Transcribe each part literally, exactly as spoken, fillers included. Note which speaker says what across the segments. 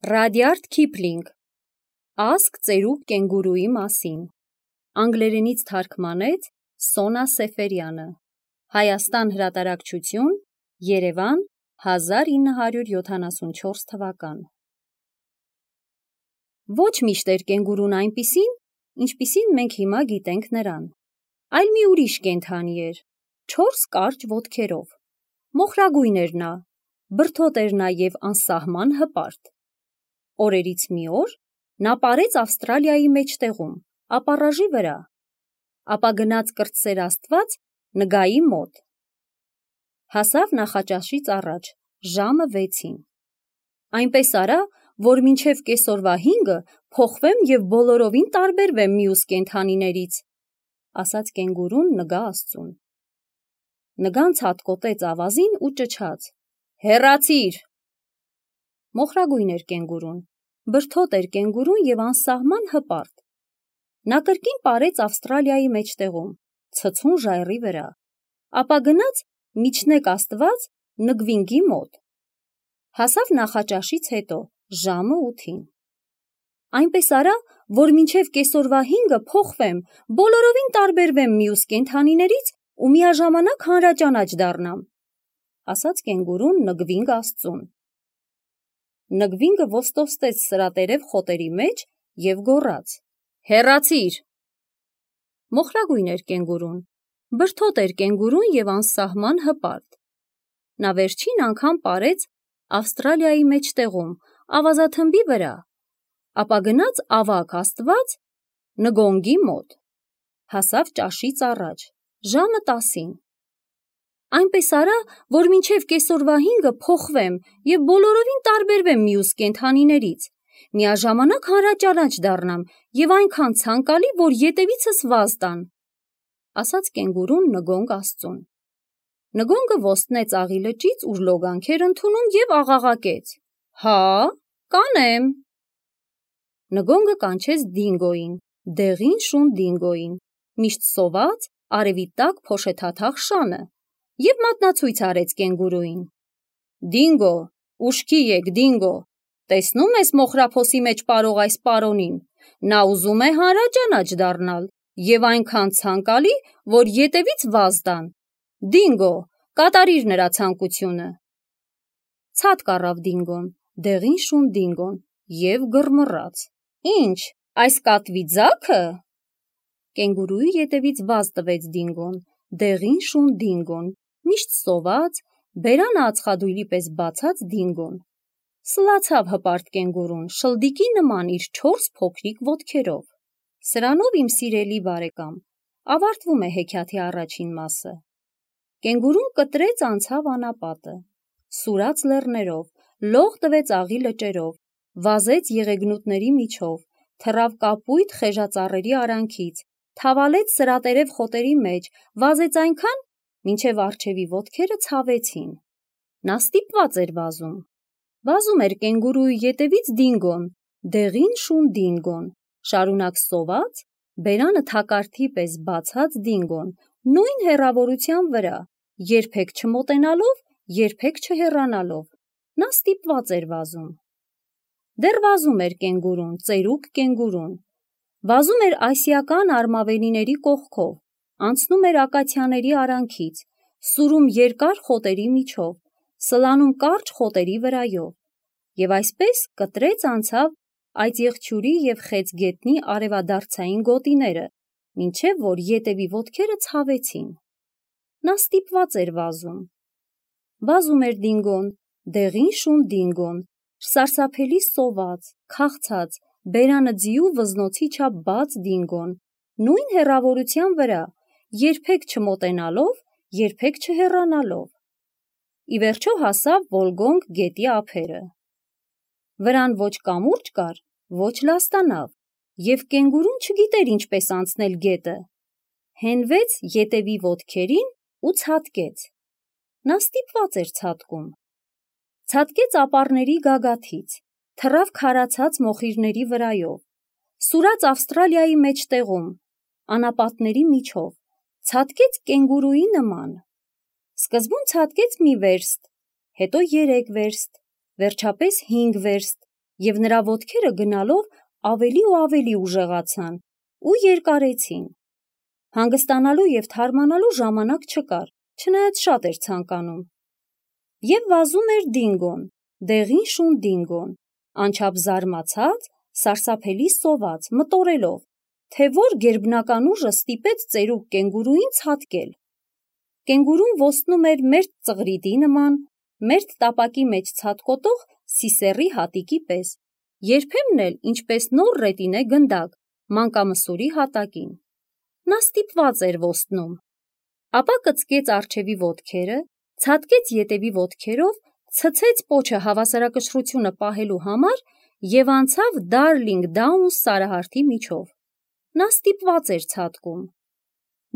Speaker 1: Ռադյարդ Քիփլինգ Ասք ծերուկ կենգուրուի մասին Անգլերենից թարգմանեց Սոնա Սեֆերյանը Հայաստան հրատարակչություն Երևան հազար ինը հարյուր յոթանասունչորս թվական Ոչ միշտ էր կենգուրուն այնպիսին, ինչպիսին մենք հիմա գիտենք նրան, այլ մի ուրիշ կենդանի էր, չորս կարճ ոտքերով, մոխրագույն էր նա, բրդոտ էր նաև անսահման հպարտ։ Օրերից մի օր նա պարեց Ավստրալիայի մեջտեղում, ապառաժի վրա, ապա գնաց կրտսեր Աստված նգայի մոտ։ Հասավ նախաճաշից առաջ, ժամը վեցին։ Այնպես արա, որ մինչև կեսօրվա հինգը փոխվեմ և բոլորովին տարբերվեմ մյուս կենդանիներից, ասաց կենգուրուն նգա աստծուն։ Նգան ցատկոտեց ավազին ու ճչաց. հեռացիր։ Մոխրագույն էր կենգուրուն, բրդոտ էր կենգուրուն և անսահման հպարտ։ Նա կրկին պարեց Ավստրալիայի մեջտեղում, ցցուն ժայռի վրա, ապա գնաց միջնեկ Աստված նգվինգի մոտ։ Հասավ նախաճաշից հետո, ժամը ութին։ Այնպես արա, որ մինչև կեսօրվա հինգը փոխվեմ, բոլորովին տարբերվեմ մյուս կենդանիներից ու միաժամանակ հանրաճանաչ դառնամ, ասաց կենգուրուն նգվինգ աստծուն։ Նգվինգը ոստովստեց սրատերև խոտերի մեջ և գոռաց. հեռացիր։ Մոխրագույն էր կենգուրուն, բրդոտ էր կենգուրուն և անսահման հպարտ։ Նա վերջին անգամ պարեց Ավստրալիայի մեջտեղում, ավազաթմբի վրա, ապա գնաց ավագ Աստված նգոնգի մոտ։ Հասավ ճաշից առաջ, ժամը տասին։ Այնպես արա, որ մինչև կեսօրվա հինգը փոխվեմ և բոլորովին տարբերվեմ մյուս կենդանիներից, միաժամանակ հանրաճանաչ դառնամ և այնքան ցանկալի, որ ետևիցս վազ տան, ասաց կենգուրուն նգոնգ աստծուն։ Նգոնգը ոստնեց աղի լճից, ուր լոգանք էր ընդունում և աղաղակեց. հա, կանեմ։ Նգոնգը կանչեց դինգոյին, դեղին շուն դինգոյին, միշտ սոված, արևի տակ փոշեթաթախ շանը, և մատնացույց արեց կենգուրուին. Դինգո, ուշքի եկ, Դինգո, տեսնո՞ւմ ես մոխրափոսի մեջ պարող այս պարոնին, նա ուզում է հանրաճանաչ դառնալ և այնքան ցանկալի, որ ետևից վազ տան, Դինգո, կատարիր նրա ցանկությունը։ Ցատկ առավ Դինգոն, դեղին շուն Դինգոն, և գռմռաց. Ինչ, այս կատվի ձա՞քը։ Կենգուրուի ետևից վազ տվեց Դինգոն, դեղին շուն Դինգոն, միշտ սոված, բերանը ածխադույլի պես բացած Դինգոն։ Սլացավ հպարտ կենգուրուն, շլդիկի նման իր չորս փոքրիկ ոտքերով։ Սրանով, իմ սիրելի բարեկամ, ավարտվում է հեքիաթի առաջին մասը։ Կենգուրուն կտրեց անցավ անապատը, սուրաց լեռներով, լող տվեց աղի լճերով, վազեց եղեգնուտների միջով, թռավ կապույտ խեժածառերի արանքից, թավալեց սրատերև խոտերի մեջ, վազեց այնքան, մինչև առջևի ոտքերը ցավեցին։ Նա ստիպված էր վազում։ Վազում էր կենգուրուի ետևից Դինգոն, դեղին շուն Դինգոն, շարունակ սոված, բերանը թակարդի պես բացած Դինգոն, նույն հեռավորության վրա, երբեք չմոտենալով, երբեք չհեռանալով։ Նա ստիպված էր վազում։ Դեռ վազում էր կենգուրուն, ծերուկ կենգուրուն։ Վազում էր ասիական արմավենիների կողքով, անցնում էր ակացիաների արանքից, սուրում երկար խոտերի միջով, սլանում կարճ խոտերի վրայով, և այսպես կտրեց անցավ այծեղջյուրի և խեցգետնի արևադարձային գոտիները, մինչև որ ետևի ոտքերը ցավեցին։ Նա ստիպված էր վազում։ Վազում էր Դինգոն, դեղին շուն Դինգոն, սարսափելի սոված, քաղցած, բերանը ձիու վզնոցի չափ բաց Դինգոն, նույն հեռավորության վրա, երբեք չմոտենալով, երբեք չհեռանալով։ Ի վերջո հասավ Վոլգոնգ գետի ափերը։ Վրան ոչ կամուրջ կար, ոչ լաստանավ, և կենգուրուն չգիտեր ինչպես անցնել գետը։ Հենվեց ետևի ոտքերին ու ցատկեց։ Նա ստիպված էր ցատկում։ Ցատկեց ապառների գագաթից, թռավ քարացած մոխիրների վրայով, սուրաց Ավստրալիայի մեջտեղում, անապատների միջով, ցատկեց կենգուրուի նման։ Սկզբում ցատկեց մի վերստ, հետո երեք վերստ, վերջապես հինգ վերստ, և նրա ոտքերը գնալով ավելի ու ավելի ուժեղացան ու երկարեցին։ Հանգստանալու և թարմանալու ժամանակ չկար, չնայած շատ էր ցանկանում։ Եվ վազում էր Դինգոն, դեղին շուն Դինգոն, անչափ զարմացած, սարսափելի սոված, մտորելով, թե որ գերբնական ուժը ստիպեց ծերուկ կենգուրուին ցատկել։ Կենգուրուն ոստնում էր մերթ ծղրիդի նման, մերթ տապակի մեջ ցատկոտող սիսեռի հատիկի պես, երբեմն էլ ինչպես նոր ռետինե գնդակ, մանկամսուրի հատակին։ Նա ստիպված էր ոստնում։ Ապա կծկեց առջևի ոտքերը, ցատկեց ետևի ոտքերով, ցցեց պոչը հավասարակշռությունը պահելու համար և անցավ Դարլինգ Դաունս սարահարթի միջով։ Նա ստիպված էր ցատկում։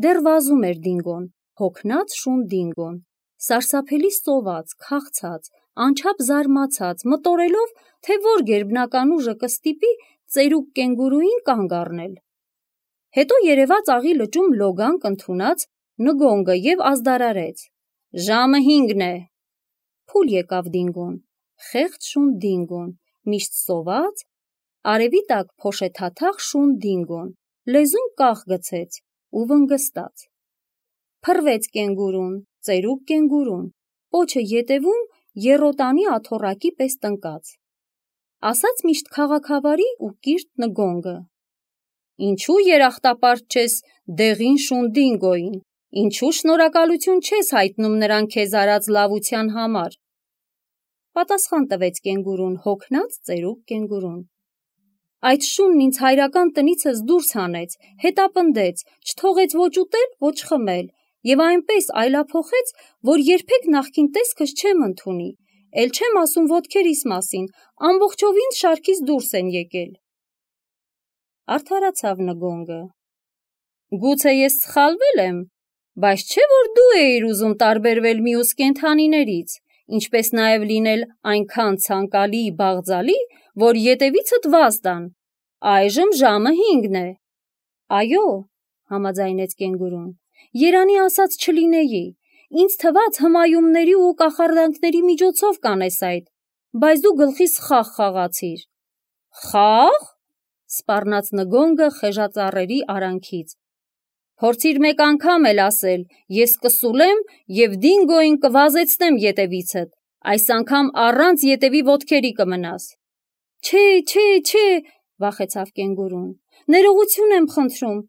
Speaker 1: Դեռ վազում էր Դինգոն, հոգնած շուն Դինգոն, սարսափելի սոված, քաղցած, անչափ զարմացած, մտորելով, թե որ գերբնական ուժը կստիպի ծերուկ կենգուրուին կանգ առնել։ Հետո երևաց աղի լճում լոգանք ընդունած Նգոնգը և ազդարարեց. «Ժամը հինգն է»։ Փուլ եկավ Դինգոն, խեղճ շուն Դինգոն, միշտ սոված, արևի տակ փոշեթաթախ շուն Դինգոն, լեզուն կախ գցեց ու վնգստաց։ Փռվեց կենգուրուն, ծերուկ կենգուրուն, պոչը ետևում եռոտանի աթոռակի պես տնկած։ Ասաց միշտ քաղաքավարի ու կիրթ Նգոնգը. «Ինչու երախտապարտ չես դեղին շուն Դինգոյին, ինչու շնորհակալություն չես հայտնում նրան քեզ արած լավության համար»։ Պատասխան տվեց կենգուրուն, հոգնած ծերուկ կենգուրուն. «Այդ շունն ինձ հայրական տնիցս դուրս հանեց, հետապնդեց, չթողեց ոչ ուտել, ոչ խմել և այնպես այլափոխեց, որ երբեք նախկին տեսքս չեմ ընդունի, էլ չեմ ասում ոտքերիս մասին, ամբողջովին շարքիս դուրս են եկել»։ Արդարացավ Նգոնգը. «Գուցե ես սխալվել եմ, բայց չէ՞ որ դու էիր ուզում տարբերվել մյուս կենդանիներից, ինչպես նաև լինել այնքան ցանկալի, բաղձալի, որ ետևիցդ վազ տան։ Այժմ ժամը հինգն է»։ «Այո», համաձայնեց կենգուրուն, «երանի ասած չլինեի, ինձ թվաց հմայումների ու կախարդանքների միջոցով կանես այդ, բայց դու գլխիս խաղ խաղացիր»։ «Խա՞ղ», սպառնաց Նգոնգը խեժածառերի արանքից, «փորձիր մեկ անգամ էլ ասել, ես կսուլեմ և Դինգոյին կվազեցնեմ ետևիցդ, այս անգամ առանց ետևի ոտքերի կմնաս»։ «Չէ, չէ, չէ», վախեցավ կենգուրուն, «ներողություն եմ խնդրում,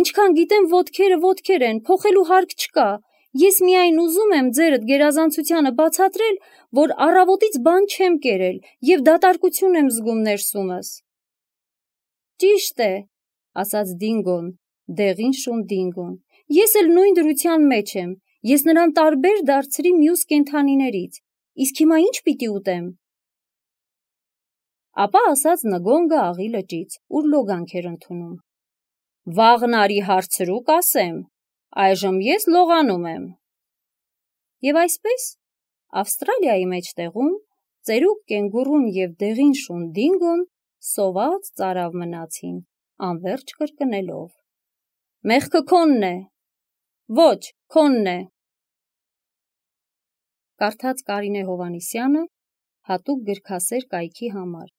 Speaker 1: ինչքան գիտեմ ոտքերը ոտքեր են, փոխելու հարկ չկա, ես միայն ուզում եմ ձերդ գերազանցությանը բացատրել, որ առավոտից բան չեմ կերել և դատարկություն եմ զգում ներսումս»։ «Ճիշտ է», ասաց Դինգոն, դեղին շուն Դինգոն, «ես էլ նույն դրության մեջ եմ, ես նրան տարբեր դարձրի մյուս կենդանիներից, իսկ հիմա ի՞նչ պիտի ուտեմ»։ Ապա ասաց Նգոնգը աղի լճից, ուր լոգանք էր ընդունում. «Վաղն արի հարցրու կասեմ, այժմ ես լողանում եմ»։ Եվ այսպես Ավստրալիայի մեջտեղում ծերուկ կենգուրուն և դեղին շուն Դինգոն սոված ծարավ մնացին, անվերջ կրկնելով. «Մեղքը քոնն է»։ «Ոչ, քոնն է»։ Կարդաց Կարինե Հովհաննիսյանը հատուկ գրքասեր կայքի համար։